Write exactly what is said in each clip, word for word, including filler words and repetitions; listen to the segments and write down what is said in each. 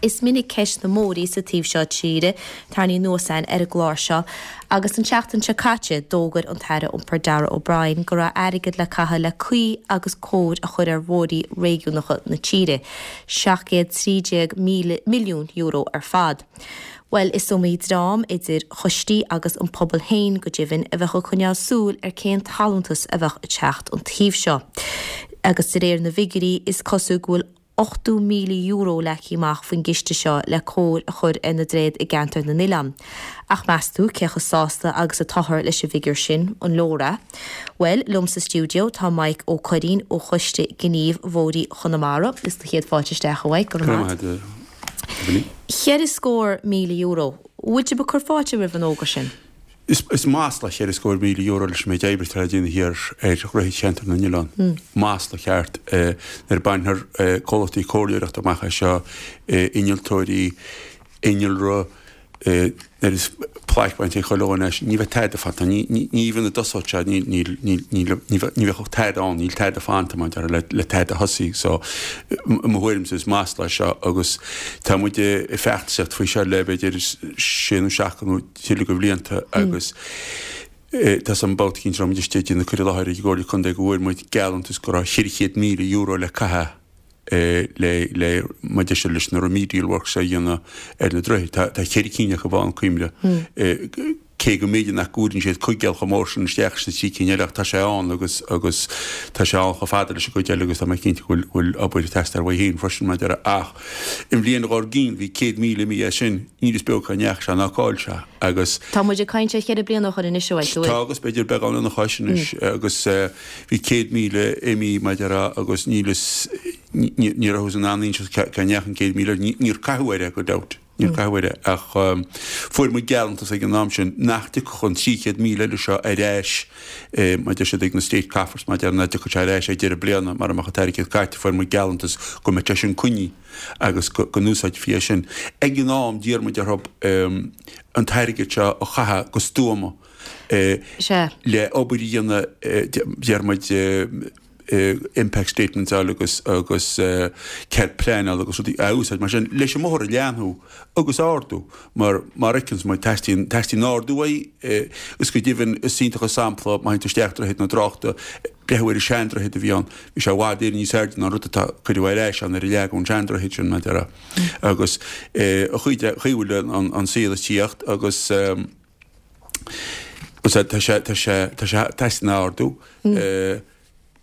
Is minic ceist na mbóithre sa taobh seo tíre tarraingthe anuas ar an gclár seo agus an tseachtain seo caite d'fhógair an tAire Iompair Darragh O'Brien go raibh airgead le caitheamh le caoi agus cóir a chur ar bhóithre réigiúnacha na tíre, seacht gcéad trí déag míle milliún euro ar fad. Bhuel, is iomaí dream idir choistí agus an pobal féin go deimhin a bheadh ag coinneáil súil ar cén t-allúntas a bheadh ag teacht an taobh seo. Agus de réir na bhfigiúirí is cosúil go bhfuil ochtó míle euro leagtha amach faoin gciste seo le cóir a chur ar na droichid i gceantar na n-oileán. Ach meas tú cé chomh sásta agus atáthar leis an bhfigiúr sin, an leor é? Bhuel, liom sa stiúideo tá Maidhc Ó Curraoin ó Choiste Gnímh Bhóithre Chonamara. Is do chéad fáilte isteach, a Mhaidhc, go raibh maith agat. Cheithre scór míle euro. Bhfuil sibh ag cur fáilte roimh an fhógra sin? Is is masla cheithre scór míle euro leis an méid oibre atá le déanamh thiar ar dhroichid cheantar na n-oileán. Masla ceart. Nuair a bainfear comhlachtaí comhairleoireachta amach as seo, innealtóirí, innealra, nuair is plaic bainte ag chuile dhuine as, ní bheidh tada fanta. Ní ní ní bheidh na dtosódh sé, ní ní ní ní ní bheadh tada ann, níl tada fanta mar le le tada a thosaí. So i mo thuairimse is masla é seo agus tá muid ag feachtasaíocht faoi seo le b'fhéidir sé nó seacht nó tuilleadh de bhlianta agus tá an babhta cinn seo muid istigh ag déanamh cur i láthair ag an gComhairle Contae go bhfuair muid geallúntas go raibh cheithre chéad míle euro le caitheamh le le maidir sé leis na remedial works a dhéanamh ar na droichid. Tá tá ceithre cinn acu ann cuimre. Cé go mb'fhéidir nach gcuireann siad coigéal chomh mór sin isteach sna trí cinn eile ach tá sé ann agus agus tá sé ann chomh fada leis an gcuid eile agus tá mé cinnte go bhfuil bhfuil obair ag teastáil uaidh féin freisin maidir ach i mbliain dhár gcionn bhí céad míle imithe as sin níl fhios beo cá ndeachaigh sé ná cá bhfuil sé agus Tá muid ag caint ar cheithre bliana ó shin anois a Mhaidhc, Tá agus b'fhéidir beagán lena chois anois agus bhí céad míle imithe maidir agus níl fhios ní raibh in ann inse cá ndeachaigh an céad míle níor caitheadh air é go dabht. Níor caitheadh air é ach fuair muid geallúntas ag an am sin nach dtiocfadh an trí chéad míle eile seo ar ais mar deir siad ag na State Coffers mar deir nach dtiocfadh sé ar ais ag deireadh bliana mara mbeadh an t-airgead caite fuair muid geallúntas go mbeadh sé sin coinnithe agus go n-úsáidfí é sin. Ag an am d'iarr muid orthu an t-airgead seo a chaitheamh go stuama le obair a dhéanamh deir muid impact statements a fháil agus agus cead pleanála agus rudaí a úsáid mar sin leis an mbóthar a leathnú agus a ardú mar mar a fheiceanns muid teastaíonn teastaíonn ardú uaidh agus go deimhin is iontach an sampla má théann tú isteach Droichead na dTráchta breathnú ar an seandroichead a bhí ann bhí sé i bhfad Éireann níos airde ná an rud atá cuireadh ar ais ann nuair a leagadh an seandroichead sin mar a déarfá agus an chaoi a bhfuil an an saol ag tíocht agus tá sé tá sé tá sé teastaíonn ardú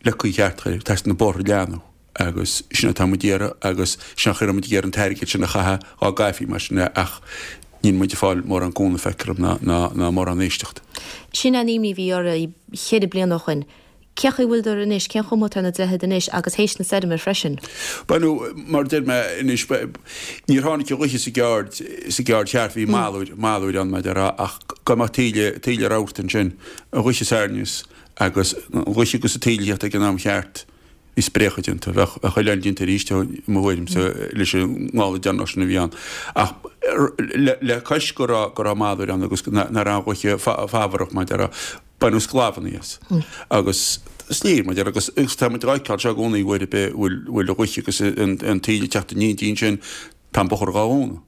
le caoi cheart a chur air, teastaíonn na bóithre a leathnú agus sin atá muid ag iarraidh agus sin an chaoi a raibh muid ag iarraidh an t-airgead sin a chaitheamh dá gcaithfí mar sin é ach níl muid ag fáil mórán cúnamh feictear dom ná ná mórán éisteacht. Sin an imní a bhí oraibh cheithre bliana ó shoin. Cén chaoi a bhfuileadar anois, cén chuma atá ar na droichid anois agus théis na stoirme freisin? Bhuel, mar a deir mé anois, níor tháinig an ghaoth sa gceard, sa gceard cheart, bhí malúir, malúir ann mar a déarfá ach go mbeadh taoille, taoille rabharta ansin, an ghaoth soir aneas Agus an ghaoth agus an taoille ag teacht ag an am cheart, bhí spréacha déanta. Bheadh oileán déanta arís, i mo thuairimse, leis an ngála deireanach sin a bhí ann. Ach le cois go raibh go raibh malúir ann agus nach raibh an ghaoth fabhrach mar a déarfá, baineadh sclamhanna as. Agus is léir, mar a déarfá, agus tá muid á fheiceáil seo i gcónaí uair ar bith bhfuil an ghaoth agus an taoille ag teacht in éindí ansin, tá an bóthar dhá dhúnadh.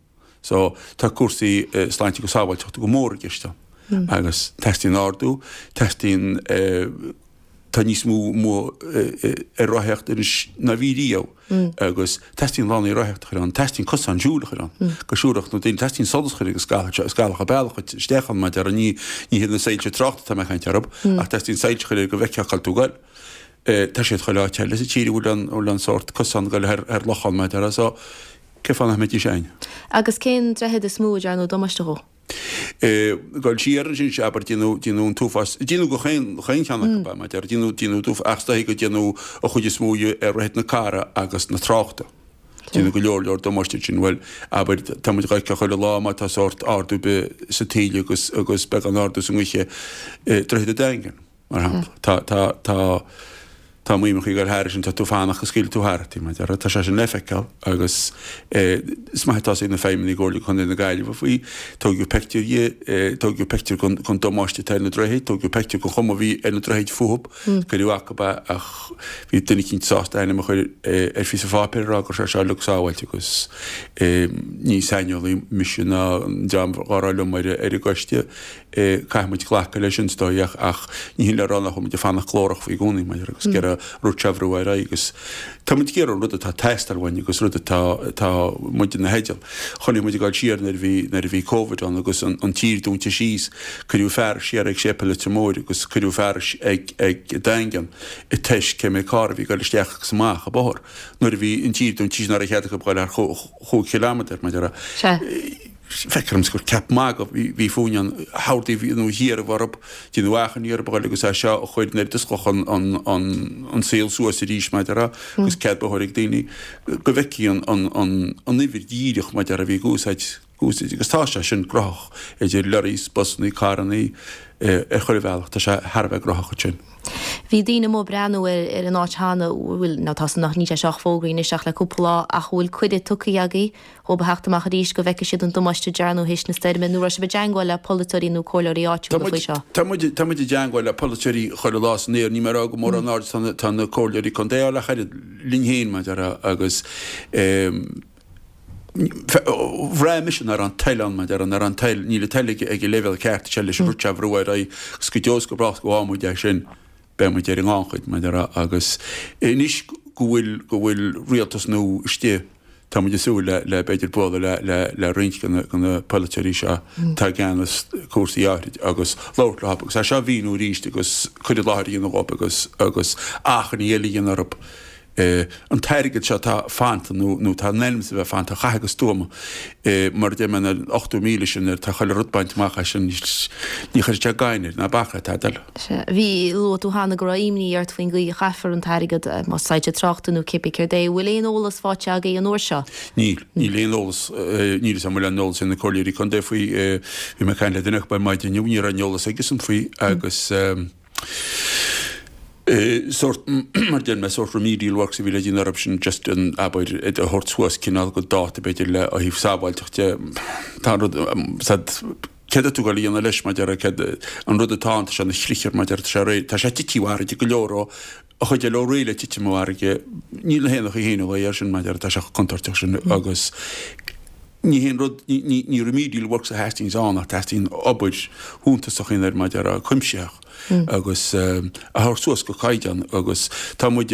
So, tá cúrsaí sláinte agus sábháilteachta go mór i gceist ann. Agus teastaíonn ardú, teastaíonn, tá níos mó mó ar rothaíocht anois ná bhí riamh agus teastaíonn lánaí rothaíochta a chur ann, teastaíonn cosán siúil a chur ann, go siúlfadh na daoine, teastaíonn solas a chur agus scamhach bealach isteach ann mar a déarfá, ní ní hiad na soilse tráchta atá mé ag caint orthu, ach teastaíonn soilse a chur air go bhfeicfeá cá bhfuil tú ag goil. Tá siad chuile áit eile sa tír a bhfuil an bhfuil an sórt cosán ag goil thar thar lochán mar a déarfá so cén fáth nach mbeidís againn? Agus cén droichead is mó a dtearnadh damáiste dhó? Dul siar ansin, sea, abair, déanadh, déanadh an t-uafás, déanadh go chaon, chaon cheann acu, mar a déarfá, déanadh, déanadh an t-uafás, ach is dóichí go déanadh an chuid is mó dhe ar Dhroichead na Cara agus na Tráchta. Déanadh go leor, leor damáiste ansin. Bhuel, abair, tá muid dhá fheiceáil chuile lá má tá sórt ardú ar bith sa taoille agus, agus beagán ardú sa ngaoth, Droichead an Daingin, mar shampla. Tá, tá, tá. Tá muidne ag dul thairis sin, tá tú fanacht go scaoilfidh tú tharat í, mar a déarfá. Tá sé sin le feiceáil agus is maith atá a fhios ag na feidhmeannaigh i gComhairle Contae na Gaillimhe faoi. Tógadh peictiúr dhe, tógadh peictiúr den damáiste atá ar na droichid, tógadh peictiúr den chuma a bhí ar na droichid fúthu, cuireadh acu é ach bhí duine eicínt sásta a ainm a chur ar phíosa pháipéir a rá go raibh sé seo uilig sábháilte agus ní saineolaí mise ná an dream dhá raibh liom ar an gcoiste. Caithfidh muid glacadh leis sin is dóigh ach ní hin le rá nach bhfuil muid ag fanacht glórach faoi i gcónaí maidir agus ag iarraidh rud seo a bhrú ar aghaidh agus tá muid ag iarraidh an rud atá ag teastáil uainn agus rud atá atá muid ina theideal. Chonaic muid ag dul siar nuair a bhí nuair a bhí Covid ann agus an an tír dúnta síos, cuireadh fearas siar ag Séipéal Leitir Móir agus cuireadh fearas ag ag Daingean ag toisc cé mhéad carr a bhí ag dul isteach agus amach an bóthar nuair a bhí an tír dúnta síos nach raibh cead acu dul thar chúig chileámeadar maidir Sea. Feictear domsa gur ceap magaidh a bhí fúinn an hordaí nó thiar a bhorb, déanamh achainí orthu a ghoil agus é seo a chur nuair a d'osclódh an saol suas arís maidir le agus cead bóthair ag daoine go bhfeicfí an uimhir dhíreach maidir a bhí ag úsáid agus tá sé sin gnóthach idir lorries, busannaí, carrannaí ar chuile bhealach, tá sé thar a bheith gnóthach ansin. Bhí daoine amuigh ag breathnú ar an áit cheana, bhfuil, nó tá san níl sé seo fógraithe anois ach le cúpla lá, ach bhfuil cuireadh tugtha agaibh dhóibh a theacht amach arís go bhfeicfidh siad an damáiste a dearnadh théis na stoirme, nó raibh sibh i dteangmháil le polaiteoirí nó comhairleoirí áitiúla faoi seo? Tá muid, tá muid i dteangmháil le polaiteoirí chuile lá san aer, níl mé ag rá go mórán aird tá na, tá na comhairleoirí contae á ach oiread linn féin mar a déarfá agus eh, Bhraith mise nach raibh an toil ann, mar a déarfá, nach raibh an toil, níl an toil ag an leibhéal ceart seo leis an rud seo a bhrú ar aghaidh agus go deo is go brách go bhfaighidh muid é sin, beidh muid ar an ngannchuid, mar a déarfá, agus anois go bhfuil, go bhfuil rialtas nua istigh, tá muid ag súil le, le b'fhéidir bualadh le, le, le roinnt de na, de na polaiteoirí seo atá i gceannas cúrsaí áithrid agus labhairt leo agus é seo a mhíniú arís agus cur i láthair a dhéanamh dhóibh agus, agus achainí eile a dhéanamh orthu. An t-airgead seo atá fanta nó nó tá in ainm is a bheith fanta a chaitheamh go stuama mar a deir mé na ochtó míle sin nuair atá chuile rud bainte amach as sin ní chuirfidh sé gainn air ná bac le tada eile. Sea. Bhí, luaigh tú cheana go raibh imní ort faoin gcaoi a chaithfear an t-airgead, más soilse tráchta nó cibé céard é. Bhfuil aon eolas faighte agaibh an uair seo? Níl. Níl aon eolas, níl 'fhios a'm an bhfuil aon eolas ag na comhairleoirí contae faoi. Bhí mé ag caint le duine acu ar maidin inniu, ní raibh aon eolas aigesan faoi agus. Sórt, mar deir mé, sórt remedial works a bhí le déanamh orthu sin, just an, abair, iad a thabhairt suas cineál go dáta b'fhéidir le ó thaobh sábháilteacht de. Tá an rud, said, céard atá tú ag dul a dhéanamh leis, mar deir, céard, an rud atá ann, tá sé ina chrichar, mar deir, tá sé réidh, tá sé tití i bhfarraige go leor ó, an chuid eile ó réidh le titim i bhfarraige, níl na haon chaoi féin a lao air sin, mar deir, tá sé chomh contúirteach sin agus ní haon rud, ní, ní, ní remedial works a theastaíonns ann ach teastaíonn obair shuntasach a dhéanamh air, mar deir, cuimsitheach. agus a thabhairt suas go caighdeán agus tá muid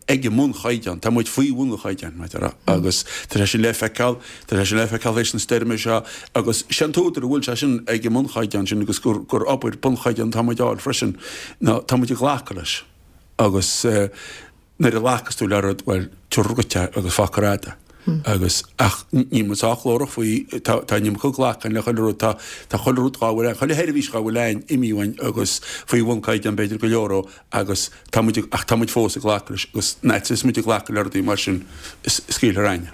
ag an mbunchaighdeán, tá muid faoi bhun an chaighdeáin, mar a déarfá, agus tá sé sin le feiceáil, tá sé sin le feiceáil théis na stoirme seo agus sé an t-údar a bhfuil sé sin ag an mbunchaighdeán sin agus gur gur obair bunchaighdeán atá muid a fháil freisin ná tá muid ag glacadh leis agus nuair a ghlacas tú le rud, bhuel, tabhair dhuit é agus fág ar fhad é. Agus, ach níl muid sách glórach faoi, tá, tá an iomarca glactha le chuile rud, tá, tá chuile rud dhá bhfuil ann, chuile sheirbhís dhá bhfuil ann imithe uainn agus faoi bhun caighdeán b'fhéidir go leor ó agus tá muid, ach tá muid fós ag glacadh leis agus an fhad is muid ag glacadh le rudaí mar sin, is scaoilfear againn.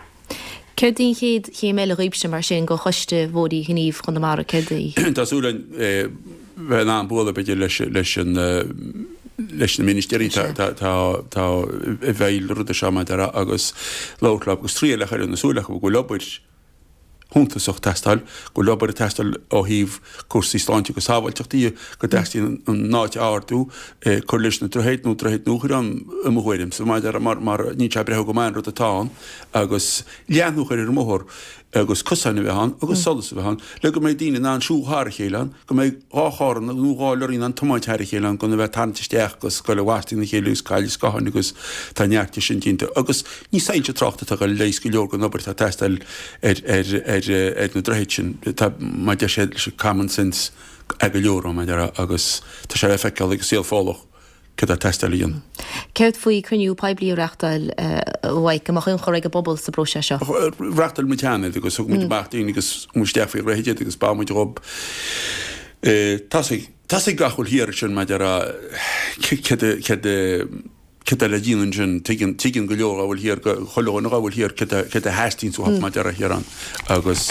Céard í an chéad chéim eile dhaoibhse mar sin, do Choiste Bhóithre Ghnímh Chonamara, céard í? Tá súil againn bheith in ann bualadh b'fhéidir leis, leis an, leis na ministéirí tá, tá, tá, tá i bhfeighil na ruda seo mar a déarfá agus labhairt leo agus triail a chur ina súile acu go bhfuil obair shuntasach ag teastáil, go bhfuil obair ag teastáil ó thaobh cúrsaí sláinte agus sábháilteachta dhe, go dteastaíonn an áit a ardú, cur leis na droichid nó droichid nua a chur ann i mo thuairimse, mar mar níl sé ag breathnú go maith an rud atá ann agus leathnú a chur ar an mbóthar. agus cosáin a bheith ann agus solas a bheith ann le go mbeidh daoine in ann siúl thar a chéile ann, go mbeidh dhá charr nó dhá lorry in ann tiomáint thar a chéile ann gan a bheith ag tarraingt isteach agus ag goil i bhfastí na chéile agus cailleadh scátháin agus tá neart de sin déanta agus ní soilse tráchta atá ag dul a leigheas go leor den obair atá ag teastáil ar ar ar ar na droichid sin. Tá mar a deir siad leis an common sense ag go leor mar a déarfá agus tá sé le feiceáil ag an saol Fódhlach céard atá ag teastáil a dhéanamh. Céard faoi cruinniú poiblí a reachtáil a Mhaidhc, go mbeadh ionchur ag an bpobal sa bpróiseas seo? Reachtáil muid cheana iad agus thug muid amach daoine agus chuaigh muid isteach faoi dhroichid iad agus bheir muid dhób. Tá's ag, tá's ag gach bhfuil thiar ansin mar a déarfá céard a, céard a, céard atá le déanamh ansin. Tuigeann, tuigeann go leor dá bhfuil thiar, go, chuile dhuine dá bhfuil thiar céard a, céard a theastaíonns uathu mar a déarfá thiar ann agus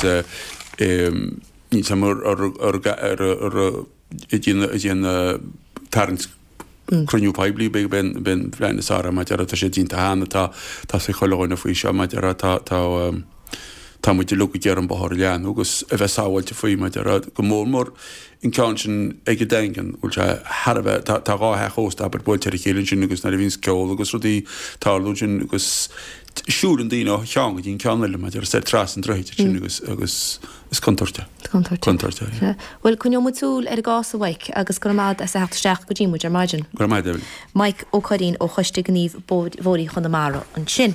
níl 's a'm ar, ar, ar, ar, ar, ar, ag déanamh, ag déanamh tarraingt Cruinniú poiblí b'in an phlean is fearr mar a déarfá tá sé déanta cheana tá tá sé chuile dhuine faoi seo mar a déarfá tá tá tá muid uilig ag iarraidh an bóthar a leathnú agus a bheith sábháilte faoi mar a déarfá go mór mór an ceann sin ag an Daingean bhfuil sé thar a bheith tá tá dhá theach ósta abair buailte ar a chéile ansin agus nuair a bhíonns ceol agus rudaí ag tarlú ansin agus siúlann daoine ó cheann go dtí an ceann eile mar a déarfá trasna an droichid ansin agus agus is contúirt é. Contúirt. Contúirt é. Sea. Bhuel coinneoidh muid súil ar an gcás a Mhaidhc agus go raibh maith agat as a theacht isteach go dtí muid ar maidin. Go raibh maith agat Evelyn. Maidhc Ó Curraoin ó Choiste Gnímh Bóithre Chonamara ansin.